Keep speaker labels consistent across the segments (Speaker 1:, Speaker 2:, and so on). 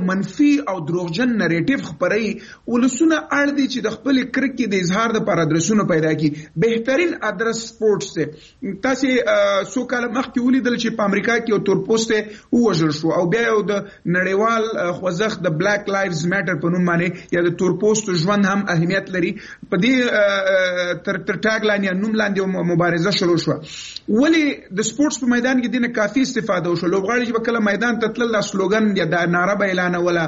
Speaker 1: منفي او دروغجن نریټیو خپروي، ولسونه اړ دي چې د خپل کرکې د اظهار لپاره ادرسونه پیدا کړي. بهترین ادرس سپورټس دی. تاسو څو کاله مخکې ولیدل چې په امریکا کې یو تورپوستی ووژل شو او بیا یو د نړیوال خوځښت د بلیک لایفز میټر په نوم باندې یا د تورپوستو ژوند هم اهمیت لري په دې تر ټاګ لاین یا نوم لاندې مبارزه شروع شوه. ولی د سپورټس په میدان کې دینه کافي استفاده وشوه. لوبغاړي چې به کله میدان ته تلل دا سلوګن یا دا ناره به اعلانوله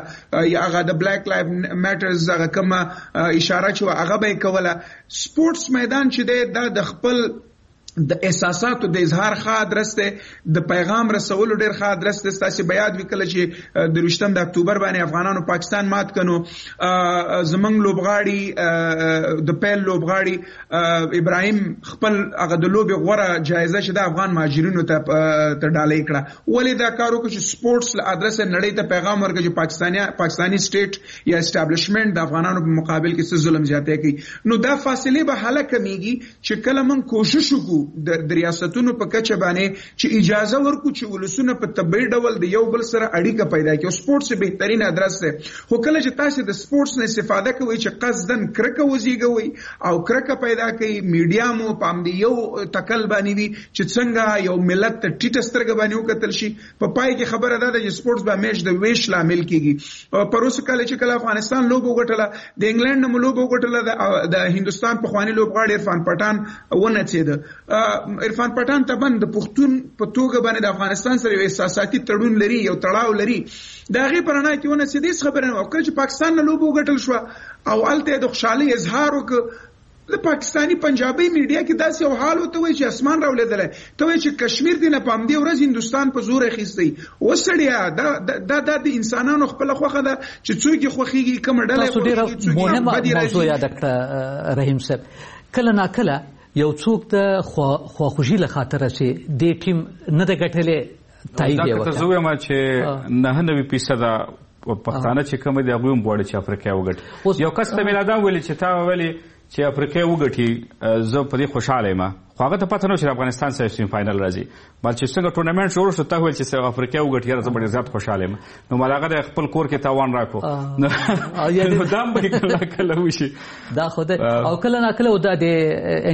Speaker 1: یا هغه د بلیک لایف میټرز هغه کومه اشاره چې هغه به یې کوله. سپورټس میدان چې دی دا د خپل د احساساتو د اظهار ښه ادرس دی، د پیغام رسولو ډیر ښه ادرس دی. ستاسې به یاد وي کله چې د 23 د اکتوبر باندې افغانانو پاکستان مات کنو، زمونږ لوبغاړي د پیل لوبغاړي ابراهیم خپل هغه د لوبې غوره جایزه چې د افغان مهاجرینو ته ډالۍ کړه. ولې دا کار وکړو چې سپورټس له ادرسه نړۍ ته پیغام ورکړي چې پاکستاني سټیټ یا اسټابلیشمنت د افغانانو په مقابل کې څه ظلم زیاتی کوي. نو دا فاصلې به هله کمیږي چې کله موږ کوشش وکړو د ریاستونو په کچه باندې چې اجازه ورکړو چې ولسونه په طبیعي ډول د یو بل سره اړیکه پیدا کړي. او سپورټس بهترین ادرس دی. خو کله چې تاسو د سپورټس نه استفاده کوئ چې قصداً کرکه وزیږوئ او کرکه پیدا کوي، میډیا مو په همدې یو تکل باندې وي چې څنګه یو ملت ته ټیټه سترګه باندې وکتل شي، په پای کې خبره دا ده چې سپورټس به همیش د ویش لامل کیږي. پروسږ کال چې کله افغانستان لوبه وګټله، د انګلند نه مو لوبه وګټله، د هندوستان پخوانی لوبغاړی عرفان پټان ونڅېده. عرفان پټان طبعا د پښتون په توګه باندې د افغانستان سره یو احساساتي تړون لري، یو تړاو لري، د هغې په رڼا کې ونڅېده، هېڅ خبره نه وه. کله چې پاکستان نه لوبه وګټل شوه او هلته یې د خوشحالۍ اظهار وکړ، د پاکستاني پنجابي میډیا کې داسې یو حال ورته وایي چې اسمان راولېدلی، ته وایي چې کشمیر دې نه په همدې ورځ هندوستان په زور اخیستی. وسړیا دا دا د انسانانو خپله خوښه ده چې څوک یې خوښېږي، کومه ډله یې خوښېږي، څوک یې بدې راځي.
Speaker 2: موضوع یاده کړه رحیم صاحب، کله ناکله یو څوک د خواخوږي له خاطره چې دې ټیم نه ده ګټلې تایید یې وکړه.
Speaker 3: زه وایم چې 99% پښتانه چې کوم دي هغوی هم غواړي چې افریقا وګټي. یو کس ته مې لا دا ویلي چې تا ویلي چې افریقا وګټي، زه په دې خوشحاله یم، خو هغه ته پته نه وه چې د افغانستان سره سیمي فاینل راځي. بل چې څنګه ټورنمنټ شروع شو، تا ویل چې افریقا وګټي، یاره زه به ډېر زیات خوشحاله یم، نو مال هغه د خپل کور کې تاوان راکړو. نو دا هم به کله کله وشي.
Speaker 2: دا خو ده. او کله ناکله دا د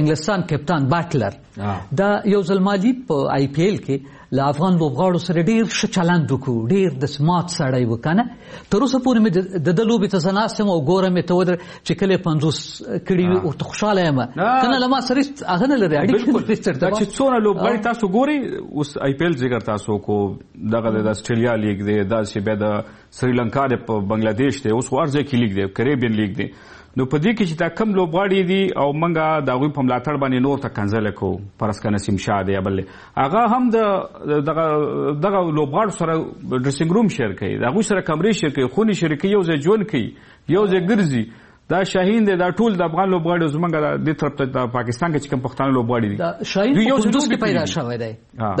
Speaker 2: انګلستان کپتان باټلر دا یو ځل مالي په آی پي ایل کې له افغان لوبغاړو سره ډېر ښه چلند وکړو، ډېر د سمارټ سړی و که نه. تر اوسه پورې مې د ده لوبې ته زه ناست یم او ګورم یې ته ودرې چې کله یې 50 کړي وي ورته خوشحاله یم که نه، له ما سره هېڅ هغه نه لري اړیکه.
Speaker 3: دا چې څونه لوبغاړي تاسو ګورئ اوس آی پي ایل ذکر تاسو کو، دغه د اسټرالیا لیګ دی، داسې بیا د سریلانکا دی، په بنګلادیش دی، اوس خو هر ځای کې لیګ دی، کریبین لیګ دی. نو په دې کې چې دا کم لوبغاړي دي او موږ د هغوی په ملاتړ باندې نور ته کنځلې کوو، فرض کړه نسیم شاه دی یا بل دی، هغه هم د دغه لوبغاړو سره ډریسینګ روم شیر کوي، د هغوی سره کمرې شیر کوي، خونې شیر کوي، یو ځای ژوند کوي، یو ځای ګرځي. دا شاهین دی، دا ټول د افغان لوبغاړي زمونږ د دې طرف ته د پاکستان کې چې کوم پښتانه لوبغاړي دي،
Speaker 2: دا شاهین
Speaker 3: دوی یو
Speaker 2: په
Speaker 3: ځای
Speaker 2: کندوز
Speaker 3: لوبې
Speaker 2: کې پیدا
Speaker 3: کړي دي.
Speaker 2: شوی دی.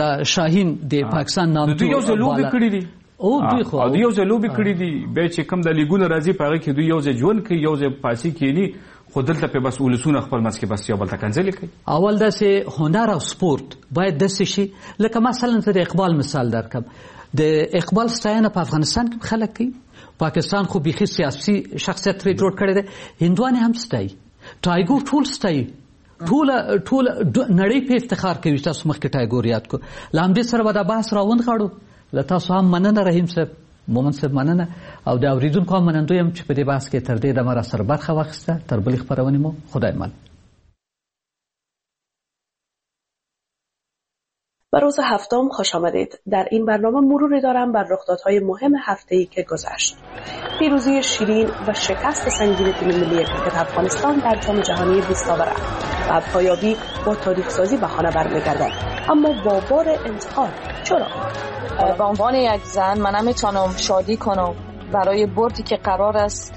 Speaker 2: دا شاهین د پاکستان نامتو
Speaker 3: دوی یو ځای لوبې
Speaker 2: بالا.
Speaker 3: کړي دي.
Speaker 2: او دوی خو
Speaker 3: او دوی یو ځای لوبې کړي دي. بیا چې کوم د لیګونه راځي په هغې کې دوی یو ځای ژوند کوي، یو ځای پاسي کښېني، خو دلته پې بس ولسونه خپل منځ کې بس یو بل ته کنځلې کوي.
Speaker 2: اول داسې هنر او سپورت باید داسې شي، لکه مثلا زه د اقبال مثال درکړم. د اقبال ستاینه په افغانستان کې خلک کوي، پاکستان خو بیخي سیاسي شخصیت ترې جوړ کړی دی، هندوان یې هم ستایي، ټایګور ټول ستایي، ټوله نړۍ په افتخار کوي. تاسو مخکې ټایګور یاد کړو. له همدې سره به دا بحث راونغاړو. له تاسو هم مننه رحیم صاحب، مومن صاحب مننه، او د اورېدونکو هم منندوی یم چې په دې بحث کې تر دې دمه راسره برخه واخیسته. تر بلې خپرونې مو خدای مل.
Speaker 4: به روز هفتم خوش آمدید. در این برنامه مروری دارم بر رخدادهای مهم هفته‌ای که گذشت. پیروزی شیرین و شکست سنگین تیم ملی کرکت افغانستان در جام جهانی 20 آوره و پایابی با تاریخ سازی به خانه برمی‌گردد، اما با بار انتقاد. چرا؟
Speaker 5: به عنوان یک زن من نمیتونم شادی کنم برای بردی که قرار است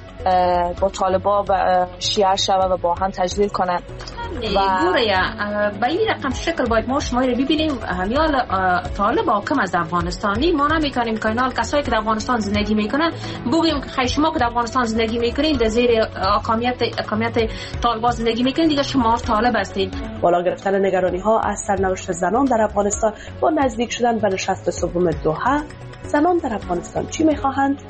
Speaker 5: با طالبا و شیعه شوه و با هم تجلیل کنند.
Speaker 6: و به این رقم شکل باید ما شما رو ببینیم. همیال طالب حاکم از افغانستانی ما نمیتونیم که اینال کسایی که در افغانستان زندگی میکنن بگوییم که خیلی شما که در افغانستان زندگی میکنین در زیر حاکمیت طالبان زندگی میکنین، دیگه شما طالب هستین.
Speaker 4: بالا گرفتن نگرانی ها از سرنوشت زنان در افغانستان با نزدیک شدن به نشست سوم دوحه، زنان در افغانستان چی میخواهند؟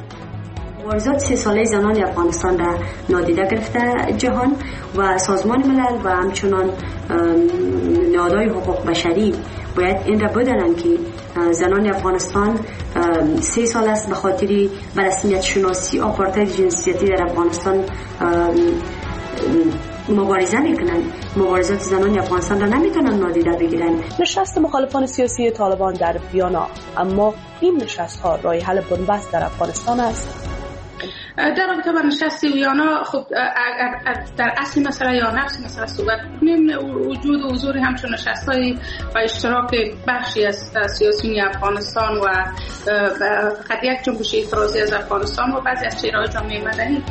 Speaker 7: مبارزات 3 ساله زنان افغانستان را نادیده گرفته جهان و سازمان ملل و همچنان نهادهای حقوق بشری باید این را بدانند که زنان افغانستان 3 سال است به خاطر به رسمیت شناسی آپارتاید جنسیتی در افغانستان مبارزه میکنند. مبارزات زنان افغانستان را نمیتونن نادیده بگیرند.
Speaker 4: نشست مخالفان سیاسی طالبان در ویانا، اما این نشست ها راه حل بنبست در افغانستان است.
Speaker 8: در رابطه با نشست ویانا، خب در اصل مسئله یا نفس مسئله صحبت کنیم، وجود و حضور همچون نشست‌های و اشتراک بخشی از سیاسیون افغانستان و فقط یک جنبش اعتراضی از افغانستان و بعضی از چهره‌های جامعه مدنی،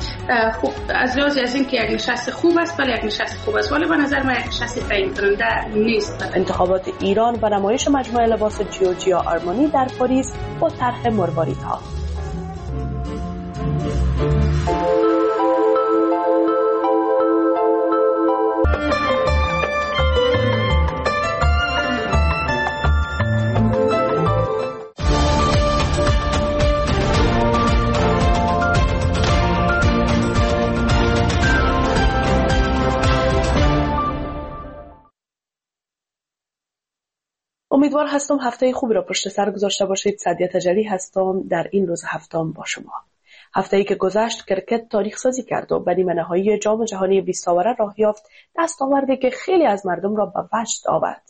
Speaker 8: خب از لحاظ از اینکه یک نشست خوب است، ولی یک نشست خوب است، ولی به نظر من یک نشست تعیین کننده نیست.
Speaker 4: انتخابات ایران و نمایش مجموعه لباس جیورجیا آرمانی در پاریس با طرح مرواریدها. امیدوار هستم هفته خوبی را پشت سر گذاشته باشید. سعدیه تجلی هستم در این روز هفتم با شما. هفته‌ای که گذشت کرکت تاریخ سازی کرد و به نیمه نهایی جام جهانی 20 آوره راه یافت، دستاوردی که خیلی از مردم را به وجد آورد.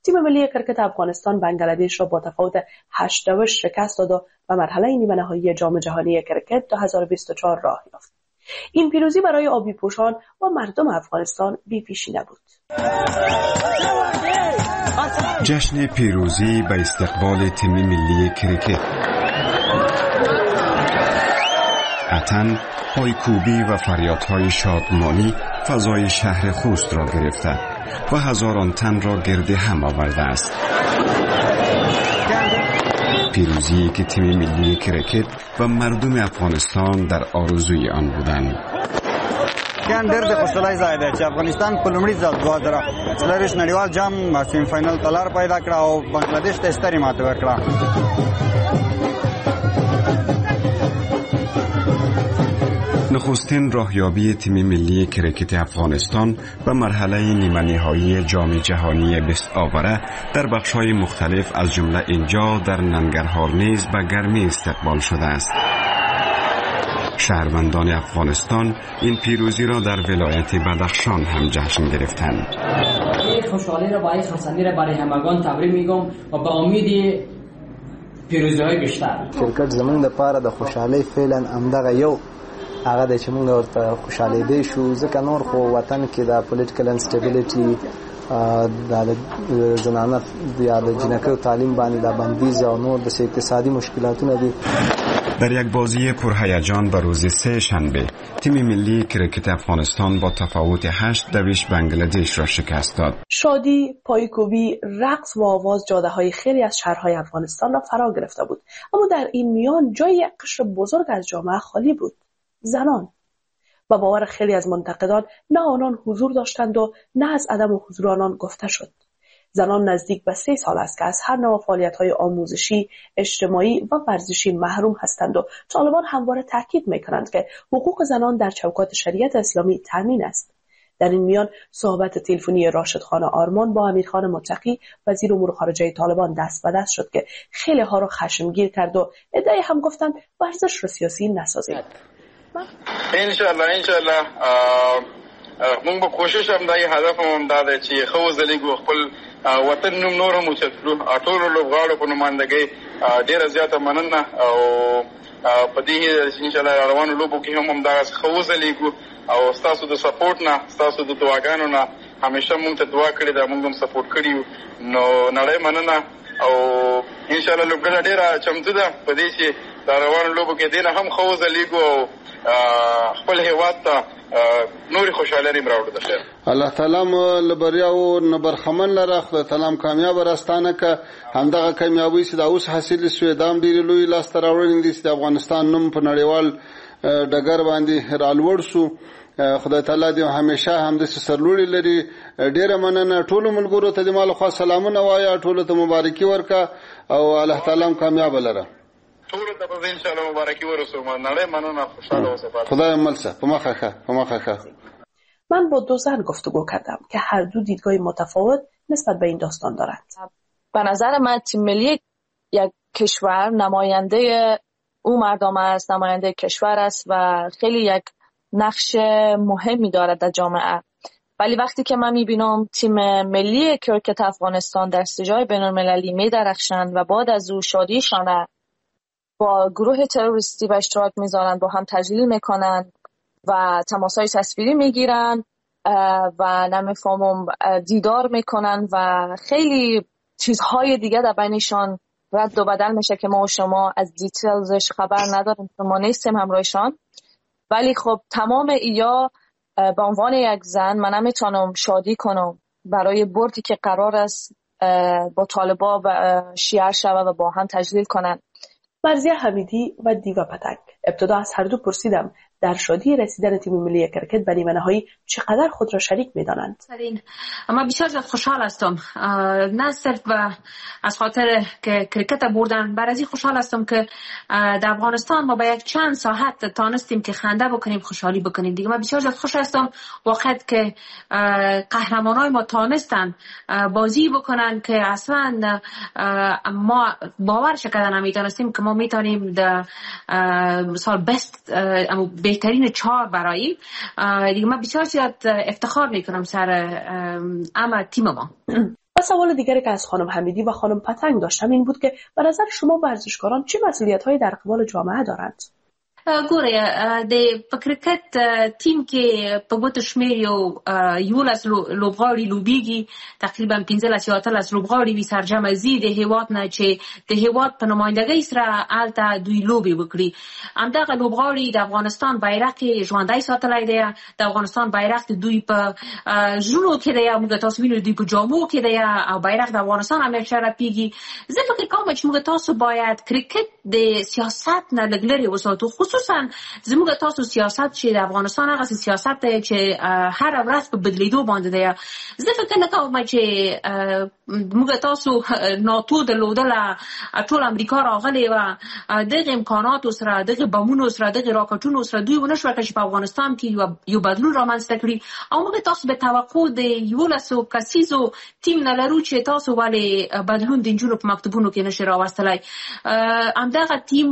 Speaker 4: تیم ملی کرکت افغانستان بنگلادش را با تفاوت 8-2 شکست داد و به مرحله نیمه نهایی جام جهانی کرکت 2024 راه یافت. این پیروزی برای آبی پوشان و مردم افغانستان بی پیشی نبود.
Speaker 9: جشن پیروزی به استقبال تیم ملی کرکت، اتن، پایکوبی و فریادهای شادمانی فضای شهر خوست را گرفته و هزاران تن را گرد هم آورده است. پیروزی که تیم ملی کرکت و مردم افغانستان در آرزوی آن بودند.
Speaker 10: ډېر د خوشحالۍ ځای دی چې افغانستان په لومړي ځل 2024 نړیوال جام سیمی فاینل ته لار پیدا کړه او بنگلاديش ته سترې ماتې ورکړه.
Speaker 9: نخستین راهیابی تیم ملی کرکت افغانستان به مرحله نیمه نهایی جام جهانی 20 آوره در بخش‌های مختلف از جمله اینجا در ننگرهار نیز به گرمی استقبال شده است. شهروندان افغانستان این پیروزی را در ولایت بدخشان هم جشن گرفتند.
Speaker 11: خوشحالی را با این خرسندی را برای همگان تبریک میگم و به امید پیروزی‌های بیشتر.
Speaker 12: کرکټ زمونږ لپاره د خوشحالۍ فعلا همدغه یو هغه دی چې موږ ورته خوشحالېدی شو، ځکه نور خو وطن کې د political instability، د زنانه یا د جینکیو تعلیم باندې د بندیز او نور د اقتصادي مشکلاتونه دي.
Speaker 9: در یک بازی پرهیجان به روز سه شنبه تیم ملی کرکت افغانستان با تفاوت 8-2 بنگلادش را شکست داد.
Speaker 4: شادی، پایکوبی، رقص و آواز جاده‌های خیلی از شهرهای افغانستان را فرا گرفته بود، اما در این میان جای یک قشر بزرگ از جامعه خالی بود: زنان. با باور خیلی از منتقدان نه آنان حضور داشتند و نه از عدم حضور آنان گفته شد. زنان نزدیک به 3 سال است که از هر نوع فعالیت‌های آموزشی، اجتماعی و ورزشی محروم هستند و طالبان همواره تاکید می‌کنند که حقوق زنان در چوکات شریعت اسلامی تامین است. در این میان صحبت تلفنی راشد خان آرمان با امیرخان متقی وزیر امور خارجه طالبان دست به دست شد که خیلی ها را خشمگین کرد و عده‌ای هم گفتند ورزش را سیاسی نسازید.
Speaker 13: انشاءالله موږ به کوشش هم دا هدف هم دا دی چې ښه وځلېږو، خپل وطن نوم نور هم اوچت کړو. ټولو لوبغاړو په نمایندګۍ ډېره زیاته مننه او په دې هیله چې انشاءالله روانو لوبو کې هم همدغسې ښه وځلېږو او ستاسو د support نه، ستاسو د دعاګانو نه همیشه موږ ته دعا کړې ده، موږ هم support کړي یو. نو نړۍ مننه او انشاءالله لوبډله ډېره چمتو ده په دې چې د روانو لوبو کې دې نه هم ښه وځلېږو او خپل هیواد ته نورې خوشحالۍ راوړو. د خیر
Speaker 14: الله تعالی مو له بریاوو نه برخمن لره، خدای تعالی مو کامیابه راستانه که. همدغه کامیابۍ چې دا اوس حاصلې شوې دا هم ډېرې لویې لاسته راوړنې دي چې د افغانستان نوم په نړیوال ډګر باندې رالوړ شو. خدای تعالی دې همیشه همداسې سرلوړي لري. ډېره مننه ټولو ملګرو ته د ما لخوا سلامونه وایه، ټولو ته مبارکي ورکه او الله تعالی مو کامیابه لره.
Speaker 13: ټولو ته به ان شاء الله مبارکي ورسوم. نړۍ مننه، خوشاله اوسه.
Speaker 14: خدای مل شه، په مخه ښه، په مخه ښه.
Speaker 4: من با دو زن گفتگو کردم که هر دو دیدگاه متفاوت نسبت به این داستان دارند.
Speaker 5: به نظر من تیم ملی یک کشور نماینده او مردم است، نماینده کشور است و خیلی یک نقش مهمی دارد در جامعه. ولی وقتی که من میبینم تیم ملی کرکت افغانستان در سجای بین‌المللی میدرخشند و بعد از او شادیشان با گروه تروریستی به اشتراک میذارن، با هم تجلیل میکنن و تماس‌های تصویری میگیرن و نمیفهمم دیدار میکنن و خیلی چیزهای دیگه در بینشان رد و بدل میشه که ما و شما از دیتیلزش خبر نداریم، ما نیستیم همراهشان. ولی خب تمام ایا به عنوان یک زن من نمیتونم شادی کنم برای بردی که قرار است با طالبا و شیعه شوه و با هم تجلیل کنن.
Speaker 4: مرضیه حمیدی و دیوا پتنگ. ابتدا از هر دو پرسیدم در شادی رسیدن تیم ملی کرکت به نیمه نهایی چقدر خود را شریک می‌دانند.
Speaker 6: اما بسیار زیاد خوشحال هستم، نه صرف از خاطر که کرکت بردن، بر از این خوشحال هستم که در افغانستان ما با یک چند ساعت تانستیم که خنده بکنیم، خوشحالی بکنیم. دیگه من بسیار زیاد خوش هستم واقعا که قهرمانای ما تانستن بازی بکنن که اصلا ما باورش کردن نمی‌تونستیم که ما میتونیم در سال بست بهترین 4 براییم. دیگه من بسیار زیاد افتخار میکنم سر اما تیم ما.
Speaker 4: و سوال دیگری که از خانم حمیدی و خانم پتنگ داشتم این بود که به نظر شما ورزشکاران چه مسئولیت‌هایی در قبال جامعه دارند؟
Speaker 6: ګوره، د په کرکټ ټیم کې په ګوتو شمېر یو 11 لوبغاړي لوبیږي، تقریبا 15 یا 18 لوبغاړي وي سرجمع ځي د هیواد نه چې د هیواد په نمایندګۍ سره هلته دوی لوبې وکړي. همدغه لوبغاړي د افغانستان بیرق یې ژوندی ساتلی دی، د افغانستان بیرق د دوی په زړونو کې دی، موږ تاسو وینو دوی په جامو کې دی او بیرق د افغانستان همیشه رپیږي. زه فکر کوم چې موږ تاسو باید کرکټ د سیاست نه لږ لرې وساتو، خصوصا زموږ تاسو سیاست چې د افغانستان هغه سیاست دی چې هر ورځ په بدلیدو باندې دی. زه فکر نه کوم چې موږ تاسو ناتو درلودله، ټول امریکا راغلې وه، دغه امکاناتو سره، دغه بمونو سره، دغه راکټونو سره دوی ونه شوه چې په افغانستان کې یو بدلون رامنځته کړي. او موږ تاسو به توقع د 11 کسیزو ټیم نه لرو چې تاسو ولې بدلون د نجونو په مکتبونو کې نشي راوستلی. همدغه ټیم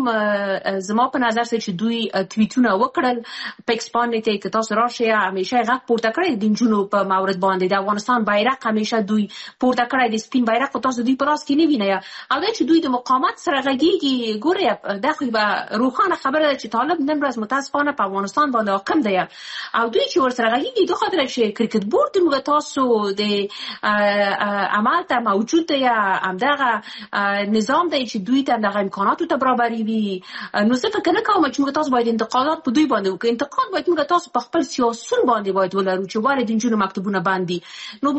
Speaker 6: زما په نظر سره چې دوی تویتونه وکړل په ایکس باندې ته که تاسو راشئ همیشه غږ پورته کړی د نجونو په مورد باندې، د افغانستان بیرق همیشه دوی پورته کړی، د سپین بیرق خو تاسو دوی په لاس کې نه وینئ. او دا چې دوی د مقاومت سره غږیږي، ګورئ دا خو یوه روښانه خبره ده چې طالب نن ورځ متاسفانه په افغانستان باندې حاکم دی او دوی چې ورسره غږیږي د خاطر چې کرکټ بورډ موږ تاسو د عمل ته موجود دی، همدغه نظام دی چې دوی ته همدغه امکاناتو ته برابري وي. نو زه فکر نه کوم چې موږ تاسو باید انتقادات په دوی باندې وکړو، انتقاد باید موږ تاسو په خپل سیاسون باندې باید ولرو چې ولې د نجونو مکتبونه بند دي. نو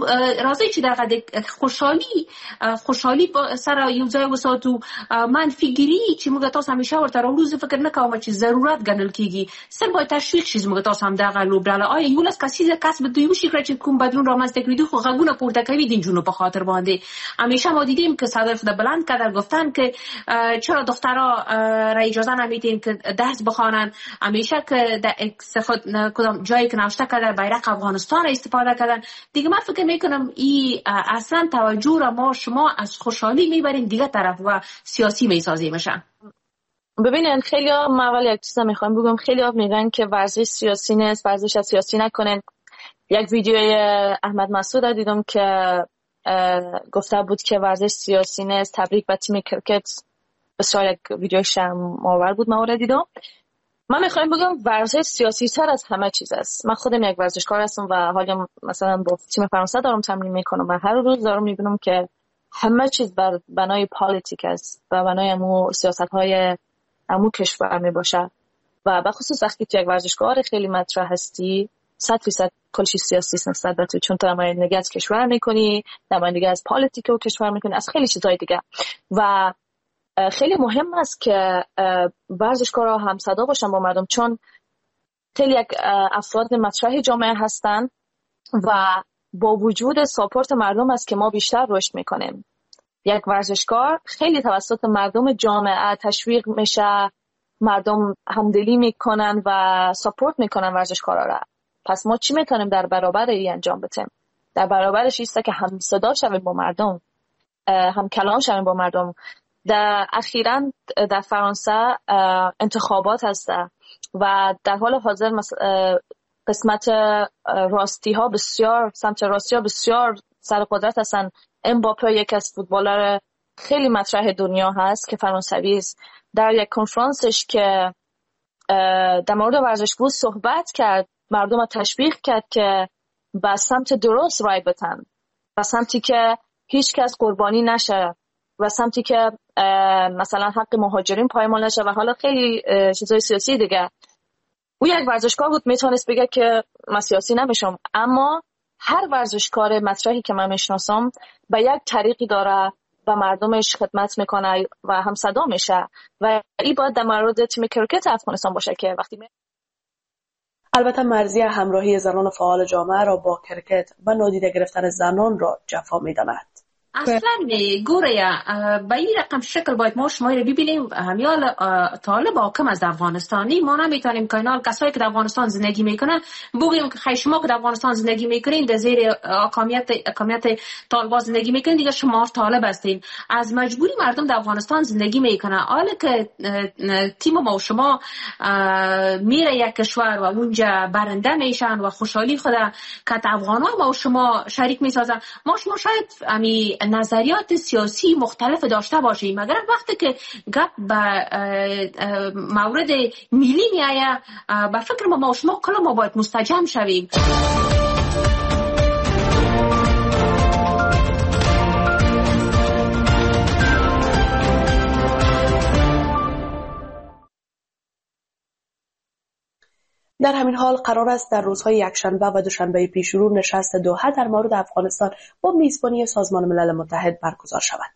Speaker 6: راځئ چې دغه د خوشحالي سره یو ځای وساتو. منفي ګري چې موږ تاسو همیشه ورته راوړو، زه فکر نه کوم چې ضرورت ګڼل کیږي، صرف باید تشویق شي موږ تاسو همدغه لوبډله. آیا 11 کسیزه کس به دوی وشي کړی چې کوم بدلون رامنځته کړي؟ دوی خو غږونه پورته کوي د نجونو په خاطر باندې. همیشه ما دیدیم که صدر خود بلند کردن گفتن که چرا دخترها را اجازه نمیدین که درس بخوانن، همیشه که در خود کدام جایی که نوشته کردن بیرق افغانستان را استفاده کردن. دیگه من فکر میکنم این اصلا توجه را ما شما از خوشحالی میبریم دیگه طرف و سیاسی میسازیمشن.
Speaker 5: ببینن خیلی ها، من اول یک چیز میخوام بگم، خیلی ها میگن که ورزش سیاسی نیست، ورزش سیاسی نکنن. یک ویدیوی احمد مسعود را دیدم که گفته بود که ورزش سیاسی نیست، تبریک به تیم کرکت. بسیار یک ویدیو شرم آور بود، من او را دیدم. من میخوایم بگم ورزش سیاسی تر از همه چیز است. من خودم یک ورزشکار هستم و حالا مثلا با تیم فرانسه دارم تمرین میکنم و هر روز دارم میبینم که همه چیز بر بنای politic است و بنای امو سیاست های امو کشور میباشه و به خصوص وقتی تو یک ورزشکار خیلی مطرح هستی 100% کل چیز سیاسی است نسبت به تو، چون تو نمایندگی از کشور میکنی، نمایندگی از politic و کشور میکنی، از خیلی چیزهای دیگه. و خیلی مهم است که ورزشکارا هم صدا باشن با مردم، چون خیلی یک افراد مطرح جامعه هستن و با وجود support مردم است که ما بیشتر رشد میکنیم. یک ورزشکار خیلی توسط مردم جامعه تشویق میشه، مردم همدلی میکنن و support میکنن ورزشکارا را. پس ما چی میتونیم در برابر این انجام بدیم؟ در برابرش ایسته که هم صدا شویم با مردم، هم کلام شویم با مردم. در اخیراً در فرانسه انتخابات هست و در حال حاضر قسمت راستی ها بسیار، سمت راستی ها بسیار سر قدرت هستن. امباپه یکی از فوتبالر خیلی مطرح دنیا هست که فرانسوی است، در یک کنفرانسش که در مورد ورزش بود صحبت کرد، مردم تشویق کرد که به سمت درست رای بدن، به سمتی که هیچ کس قربانی نشه، و سمتی که مثلا حق مهاجرین پایمال نشه و حالا خیلی چیزای سیاسی دیگه. او یک ورزشکار بود، میتونست بگه که من سیاسی نمیشم، اما هر ورزشکار مطرحی که من میشناسم به یک طریقی داره و مردمش خدمت میکنه و هم صدا میشه و این باید در مورد تیم کرکت افغانستان باشه که وقتی
Speaker 4: البته مرضیه همراهی زنان فعال جامعه را با کرکت و نادیده گرفتن زنان را جفا میداند.
Speaker 6: اصلا گوره به این رقم شکل باید ما شما رو ببینیم. همیال طالب حاکم از افغانستانی ما نمیتونیم که اینال کسایی که در افغانستان زندگی میکنن بگیم که خیلی شما که در افغانستان زندگی میکنین در زیر حاکمیت طالبان زندگی میکنین، دیگه شما طالب هستین. از مجبوری مردم در افغانستان زندگی میکنن. حالا که تیم ما و شما میره یک کشور و اونجا برنده میشن و خوشحالی خود که افغان ها ما و شما شریک میسازن، ما شما شاید امی نظریات سیاسی مختلف داشته باشیم، مگر وقتی که گپ به مورد ملی میآید به فکر ما شما کل ما باید مستجم شویم.
Speaker 4: در همین حال قرار است در روزهای یکشنبه و دوشنبه پیشرو نشست دوحه در مورد افغانستان با میزبانی سازمان ملل متحد برگزار شود.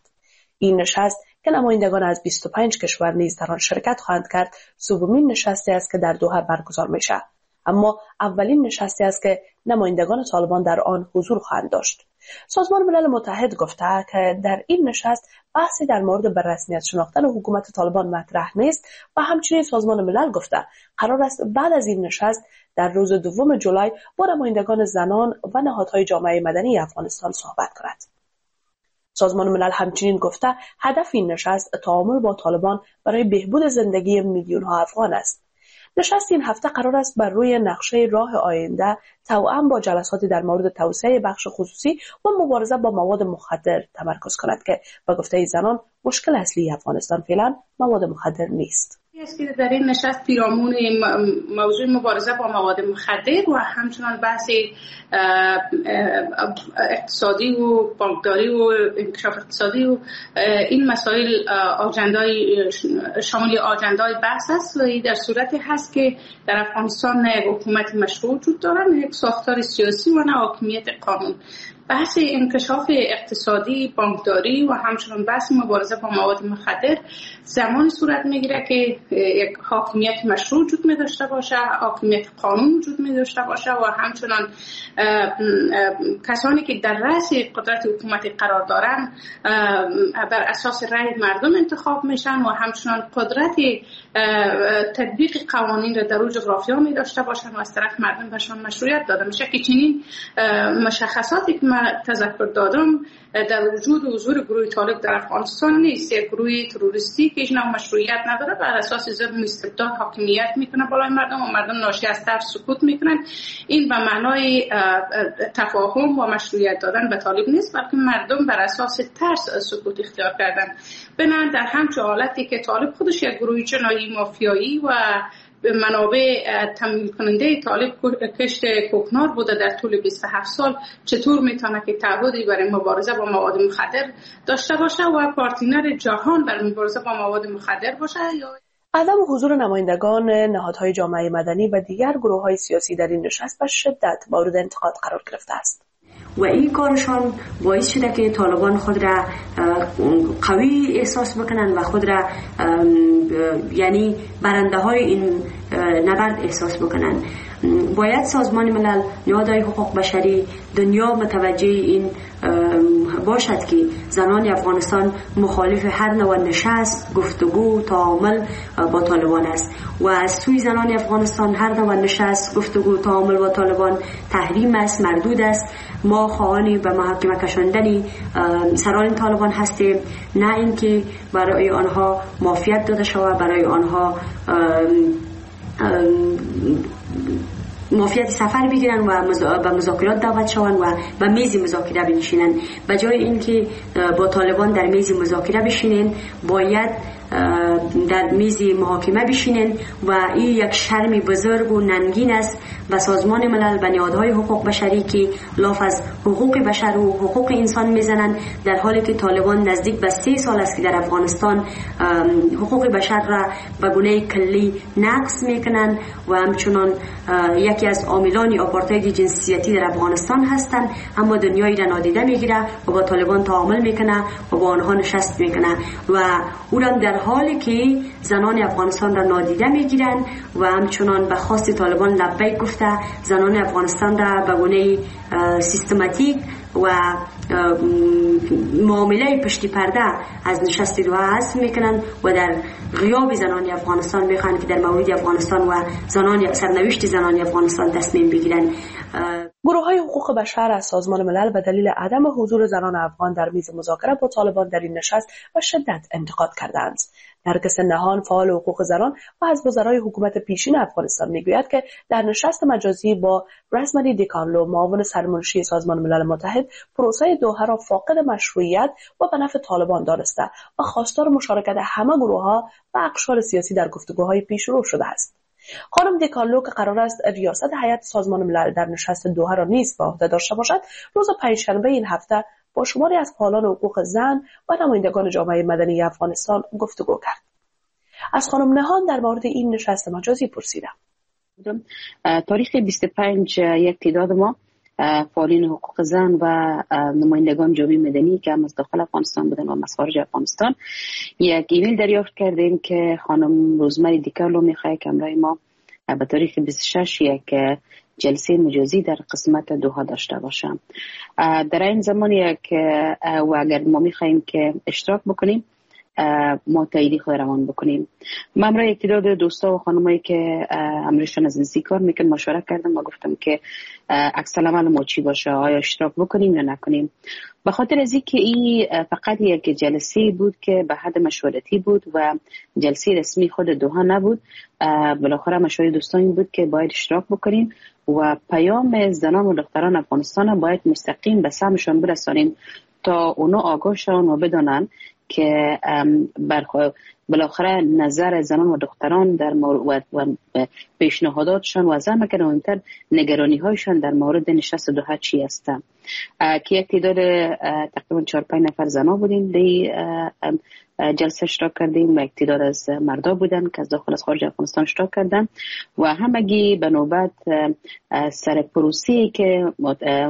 Speaker 4: این نشست که نمایندگان از 25 کشور نیز در آن شرکت خواهند کرد، سومین نشستی است که در دوحه برگزار می شود، اما اولین نشستی است که نمایندگان طالبان در آن حضور خواهند داشت. سازمان ملل متحد گفته که در این نشست بحثی در مورد به رسمیت شناختن حکومت طالبان مطرح نیست و همچنین سازمان ملل گفته قرار است بعد از این نشست در روز دوم جولای با نمایندگان زنان و نهادهای جامعه مدنی افغانستان صحبت کند. سازمان ملل همچنین گفته هدف این نشست تعامل با طالبان برای بهبود زندگی میلیون‌ها افغان است. نشست این هفته قرار است بر روی نقشه راه آینده توأم با جلساتی در مورد توسعه بخش خصوصی و مبارزه با مواد مخدر تمرکز کند که به گفته زنان مشکل اصلی افغانستان فعلا مواد مخدر نیست.
Speaker 8: است که در این نشست پیرامون موضوع مبارزه با مواد مخدر و همچنان بحث اقتصادی و بانکداری و انکشاف اقتصادی و این مسائل آجندای شامل آجندای بحث است و در صورتی هست که در افغانستان نه یک حکومت مشروع وجود داره، نه یک ساختار سیاسی و نه حاکمیت قانون. بحث انکشاف اقتصادی، بانکداری و همچنان بحث مبارزه با مواد مخدر زمان صورت میگیره که یک حاکمیت مشروع وجود می داشته باشه، حاکمیت قانون وجود می داشته باشه و همچنان کسانی که در رأس قدرت حکومتی قرار دارن بر اساس رأی مردم انتخاب میشن و همچنان قدرت تطبیق قوانین را در او جغرافیا می داشته باشن و از طرف مردم بهشان مشروعیت داده میشه که چنین مشخصاتی که من تذکر دادم در وجود و حضور گروه طالب در افغانستان نیست. یک گروه تروریستی که هیچ نوع مشروعیت نداره، بر اساس ظلم و استبداد حاکمیت میکنه بالای مردم و مردم ناشی از ترس سکوت میکنن. این به معنای تفاهم و مشروعیت دادن به طالب نیست، بلکه مردم بر اساس ترس سکوت اختیار کردن. بنابراین در همچون حالتی که طالب خودش یک گروه جنایی مافیایی و منابع تامین کننده طالب کشت کوکنار بوده در طول 27 سال، چطور میتونه که تعهدی برای مبارزه با مواد مخدر داشته باشه و پارتنر جهان برای مبارزه با مواد مخدر باشه؟ یا
Speaker 4: عدم حضور نمایندگان نهادهای جامعه مدنی و دیگر گروه‌های سیاسی در این نشست به شدت مورد انتقاد قرار گرفته است.
Speaker 7: و این کارشان باعث شده که طالبان خود را قوی احساس بکنن و خود را یعنی برنده های این نبرد احساس بکنن. باید سازمان ملل، نهادهای حقوق بشری، دنیا متوجه این باشد که زنان افغانستان مخالف هر نوع نشست، گفتگو، تعامل با طالبان است و از سوی زنان افغانستان هر نوع نشست، گفتگو، تعامل با طالبان تحریم است، مردود است. ما خواهان به محاکمه کشاندن سران طالبان هستیم، نه اینکه برای آنها معافیت داده شود، برای آنها معافیت سفر بگیرن و به مذاکرات دعوت شوند و به میز مذاکره بنشینن. به جای اینکه با طالبان در میز مذاکره بشینن، باید در میز محاکمه بشینن و این یک شرم بزرگ و ننگین است و سازمان ملل و نهادهای حقوق بشری که لاف از حقوق بشر و حقوق انسان میزنند، در حالی که طالبان نزدیک به 3 سال است که در افغانستان حقوق بشر را به گونه کلی نقض میکنند و همچنان یکی از عاملان آپارتاید جنسیتی در افغانستان هستند، اما دنیای را نادیده میگیره و با طالبان تعامل میکنه و با آنها نشست میکنه و او را در حالی که زنان افغانستان را نادیده میگیرند و همچنان به خواست طالبان لبیک گفته، زنان افغانستان را به گونه سیستماتیک و معامله پشتی پرده از نشست دوحه حذف میکنند و در غیاب زنان افغانستان میخوان که در مورد افغانستان و زنان سرنوشت زنان افغانستان تصمیم بگیرند.
Speaker 4: گروه های حقوق بشر از سازمان ملل به دلیل عدم حضور زنان افغان در میز مذاکره با طالبان در این نشست به شدت انتقاد کردند. نرگس نهان، فعال حقوق زنان و از وزرای حکومت پیشین افغانستان، میگوید که در نشست مجازی با رزمری دیکارلو، معاون سرمنشی سازمان ملل متحد، پروسه دوحه را فاقد مشروعیت و به نفع طالبان دانسته و خواستار مشارکت همه گروه‌ها و اقشار سیاسی در گفتگوهای پیشرو شده است. خانم دیکارلو که قرار است ریاست هیئت سازمان ملل در نشست دوحه را نیز به عهده داشته باشد، روز پنجشنبه این هفته با شماری از فعالان حقوق زن و نمایندگان جامعه مدنی افغانستان گفتگو کرد. از خانم نهان در مورد این نشست مجازی پرسیدم.
Speaker 15: تاریخ 25 یک تعداد ما فعالین حقوق زن و نمایندگان جامعه مدنی که هم از داخل افغانستان بودن و از خارج افغانستان یک ایمیل دریافت کردیم که خانم روزمری دیکارلو میخواد که همراه ما به تاریخ 26 یک جلسه مجازی در قسمت دوحه داشته باشم. در این زمان یک و اگر ما میخواهیم که اشتراک بکنیم ما تاییدی خود روان بکنیم. من همراه یک تعداد دوستا و خانمایی که همراهشان از نزدیک کار میکنم مشوره کردم و گفتم که عکس العمل ما چی باشه، آیا اشتراک بکنیم یا نکنیم. به خاطر از اینکه این فقط یک جلسه بود که به حد مشورتی بود و جلسه رسمی خود دوحه نبود، بالاخره مشوره دوستان بود که باید اشتراک بکنیم و پیام زنان و دختران افغانستان باید مستقیم به سمشان برسانیم تا اونا آگاه شوند و بدانند که بالاخره نظر زنان و دختران در مورد و پیشنهاداتشان و زعم که مهمتر نگرانی هایشان در مورد نشست دوحه چی است. که یک تعداد تقریبا 4-5 نفر زنان بودیم دی جلسه اشتراک کردیم و یک تعداد از مردا بودن که از داخل از خارج افغانستان اشتراک کردن و همگی به نوبت سر پروسه‌ای که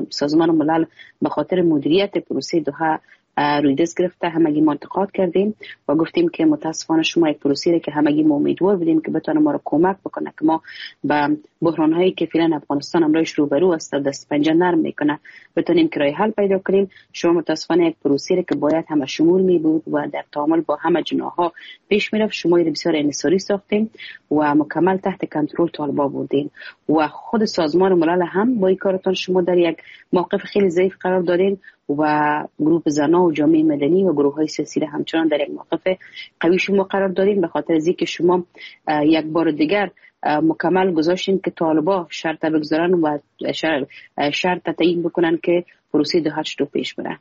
Speaker 15: سازمان ملل به خاطر مدیریت پروسه دوحه روی دست گرفته همگی ما انتقاد کردیم و گفتیم که متاسفانه شما یک پروسه‌ای که همگی ما امیدوار بودیم که بتونه ما رو کمک بکنه که ما به بحران هایی که فعلا افغانستان امروز روبرو است دست پنجه نرم میکنه بتونیم که راه حل پیدا کنیم. شما متاسفانه یک پروسه‌ای که باید همه شمول می بود و در تعامل با همه جناح‌ها پیش میرفت شما رو بسیار انحصاری ساختیم و مکمل تحت کنترل طالبان بردیم و خود سازمان ملل هم با این کارتان شما در یک موقف خیلی ضعیف قرار دادین و گروه زنان و جامعه مدنی و گروه های سیاسی را همچنان در یک موقف قوی شما قرار دادین، به خاطر از اینکه شما یک بار دیگر مکمل گذاشتین که طالبا شرط بگذارن و شرط تعیین بکنن که پروسه دوحه چطور پیش بره.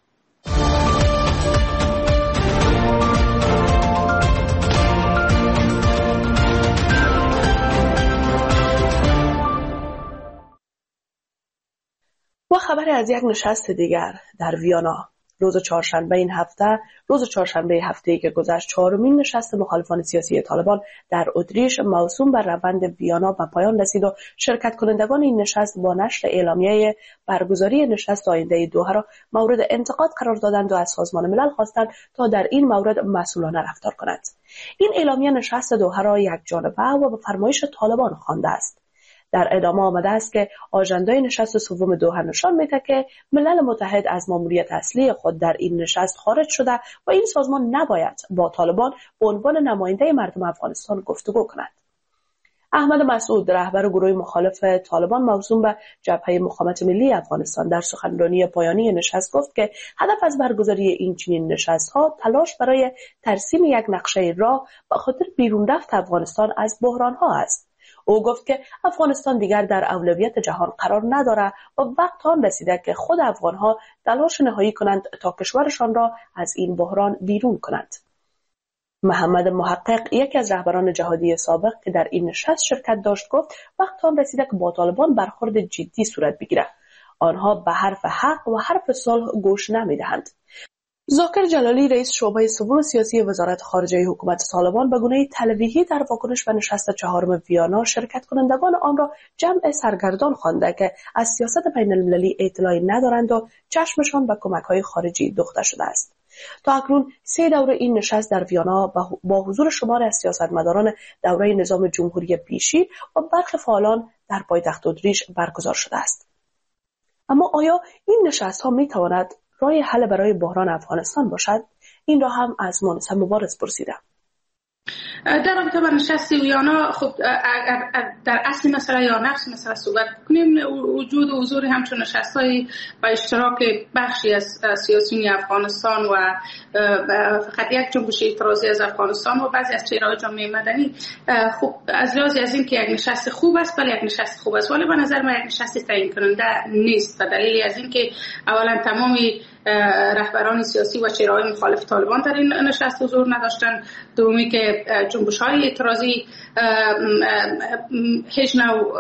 Speaker 4: و خبر از یک نشست دیگر در ویانا. روز چهارشنبه این هفته، روز چهارشنبه هفته‌ای که گذشت، چهارمین نشست مخالفان سیاسی طالبان در اتریش موسوم بر روند ویانا به پایان رسید و شرکت کنندگان این نشست با نشر اعلامیه برگزاری نشست آینده دوحه را مورد انتقاد قرار دادند و از سازمان ملل خواستند تا در این مورد مسئولانه رفتار کند. این اعلامیه نشست دوحه را یک جانبه و به فرمایش طالبان خوانده است. در ادامه آمده است که آژندای نشست سوم دوحه نشان می‌دهد که ملل متحد از ماموریت اصلی خود در این نشست خارج شده و این سازمان نباید با طالبان به عنوان نماینده مردم افغانستان گفتگو کند. احمد مسعود، رهبر گروه مخالف طالبان موسوم به جبهه مقاومت ملی افغانستان، در سخنرانی پایانی نشست گفت که هدف از برگزاری این چنین نشست‌ها تلاش برای ترسیم یک نقشه راه به خاطر بیرون رفت افغانستان از بحران‌ها است. او گفت که افغانستان دیگر در اولویت جهان قرار ندارد و وقت آن رسیده که خود افغانها تلاش نهایی کنند تا کشورشان را از این بحران بیرون کنند. محمد محقق، یکی از رهبران جهادی سابق که در این نشست شرکت داشت، گفت وقت آن رسیده که با طالبان برخورد جدی صورت بگیرد. آنها به حرف حق و حرف صلح گوش نمیدهند. ذاکر جلالی، رئیس شعبه سوم سیاسی وزارت خارجه حکومت طالبان، به گونه تلویحی در واکنش به نشست چهارم ویانا شرکت کنندگان آن را جمع سرگردان خوانده که از سیاست بین المللی اطلاعی ندارند و چشمشان به کمک‌های خارجی دوخته شده است. تا اکنون 3 دوره این نشست در ویانا با حضور شمار از سیاستمداران دوره نظام جمهوری پیشین و برخی فعالان در پایتخت اتریش برگزار شده است. اما آیا این نشست‌ها می‌تواند راه حل برای بحران افغانستان باشد؟ این را هم از مانسه مبارز پرسیدم.
Speaker 8: در رابطه با نشست ویانا، خب در اصل مسئله یا نفس مسئله صحبت کنیم، وجود و حضور همچون نشست‌های با اشتراک بخشی از سیاسیون افغانستان و فقط یک جنبش اعتراضی از افغانستان و بعضی از چهره‌های جامعه مدنی، خب از لحاظ از این که یک نشست خوب است، بله یک نشست خوب است، ولی به نظر من یک نشست تعیین کننده نیست. به دلیل از اینکه اولا تمام رهبران سیاسی و چهره‌های مخالف طالبان در این نشست حضور نداشتند، دومی که جنبش‌های اعتراضی هیچ نوع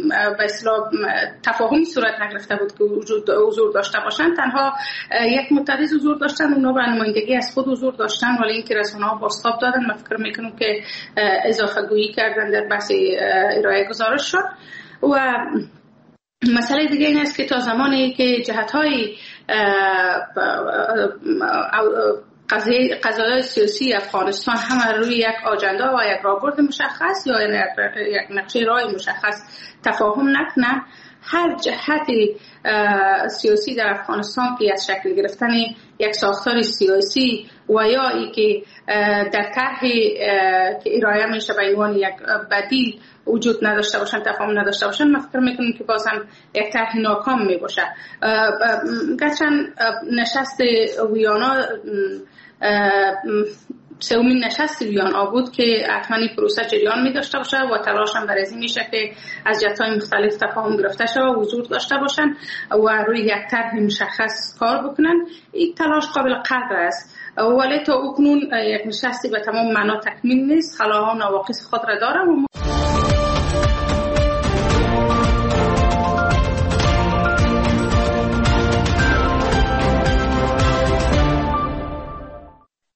Speaker 8: به اصطلاح تفاهمی صورت نگرفته بود که حضور داشته باشند. تنها یک معترض حضور داشتن، اونا به نمایندگی از خود حضور داشتن، ولی اینکه رسانه‌ها بازتاب دادن، من فکر میکنم که اضافه گویی کردن در بحث ارائه گزارش شد. و مسئله دیگه این است که تا زمانی که جهت‌های قضایای سیاسی افغانستان هم روی یک آجندا و یک راهبرد مشخص یا یک نقشه راه مشخص تفاهم نکنه، هر جهت سیاسی در افغانستان که از شکل گرفتن یک ساختار سیاسی و یا ای که در طرح که ارائه میشه به عنوان یک بدیل وجود نداشته باشن، تفاهم نداشته باشن، من فکر میکنم که باز هم یک طرح ناکام میباشه. گرچند نشست ویانا سومین نشست ویانا بود که حتما این پروسه جریان می داشته باشه و تلاش هم برای این میشه که از جهت‌های مختلف تفاهم گرفته شود و حضور داشته باشن و روی یک طرح مشخص کار بکنن. این تلاش قابل قدر است، ولی تا اکنون یک نشستی به تمام معنا تکمیل نیست، خلاها و نواقص خود را داره. و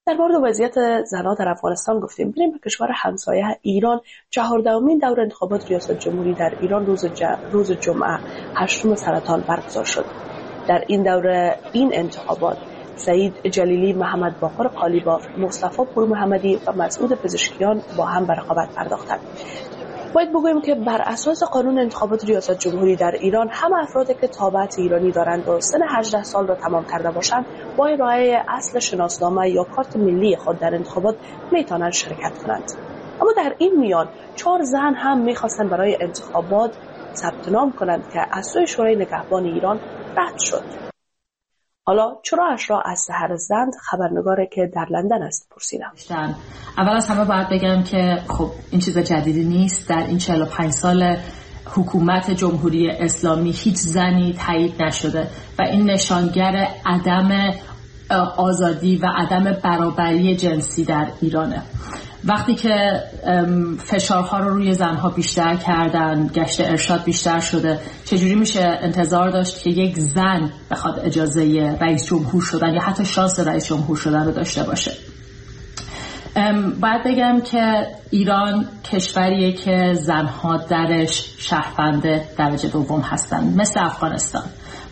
Speaker 4: در مورد وضعیت زنان در افغانستان گفتیم. بریم به کشور همسایه ایران. 14مین دور انتخابات ریاست جمهوری در ایران روز جمعه 8 سرطان برگزار شد. در این دوره این انتخابات سعید جلیلی، محمد باقر قالیباف، مصطفی پورمحمدی و مسعود پزشکیان با هم به رقابت پرداختند. باید بگوییم که بر اساس قانون انتخابات ریاست جمهوری در ایران، همه افرادی که تابعیت ایرانی دارند و سن 18 سال را تمام کرده باشند، با ارائه اصل شناسنامه یا کارت ملی خود در انتخابات میتوانند شرکت کنند. اما در این میان 4 زن هم میخواستند برای انتخابات ثبت نام کنند که از سوی شورای نگهبان ایران رد شد. حالا چرا اشرا از سحر زند، خبرنگاره که در لندن است، پرسیدم.
Speaker 16: اول از همه باید بگم که خب این چیز جدیدی نیست. در این 45 سال حکومت جمهوری اسلامی هیچ زنی تایید نشده و این نشانگر عدم آزادی و عدم برابری جنسی در ایرانه. وقتی که فشارها رو روی زنها بیشتر کردن، گشت ارشاد بیشتر شده، چجوری میشه انتظار داشت که یک زن بخواد اجازه رئیس جمهور شدن یا حتی شانس رئیس جمهور شدن رو داشته باشه؟ باید بگم که ایران کشوریه که زنها درش شهروند درجه دوم هستن، مثل افغانستان.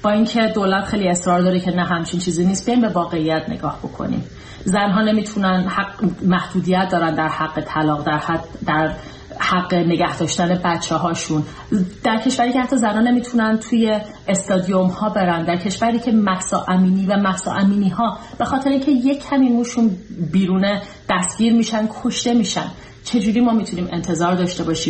Speaker 16: با اینکه دولت خیلی اصرار داره که نه همچین چیزی نیست، بیایم به واقعیت نگاه بکنیم. زنها نمیتونن، حق محدودیت دارن در حق طلاق، در حق نگه داشتن بچه هاشون، در کشوری که حتی زنان نمیتونن توی استادیوم ها برن، در کشوری که مهسا امینی و مهسا امینی ها به خاطر اینکه یک کمی موشون بیرونه دستگیر میشن، کشته میشن، چجوری ما میتونیم انتظار داشته باشیم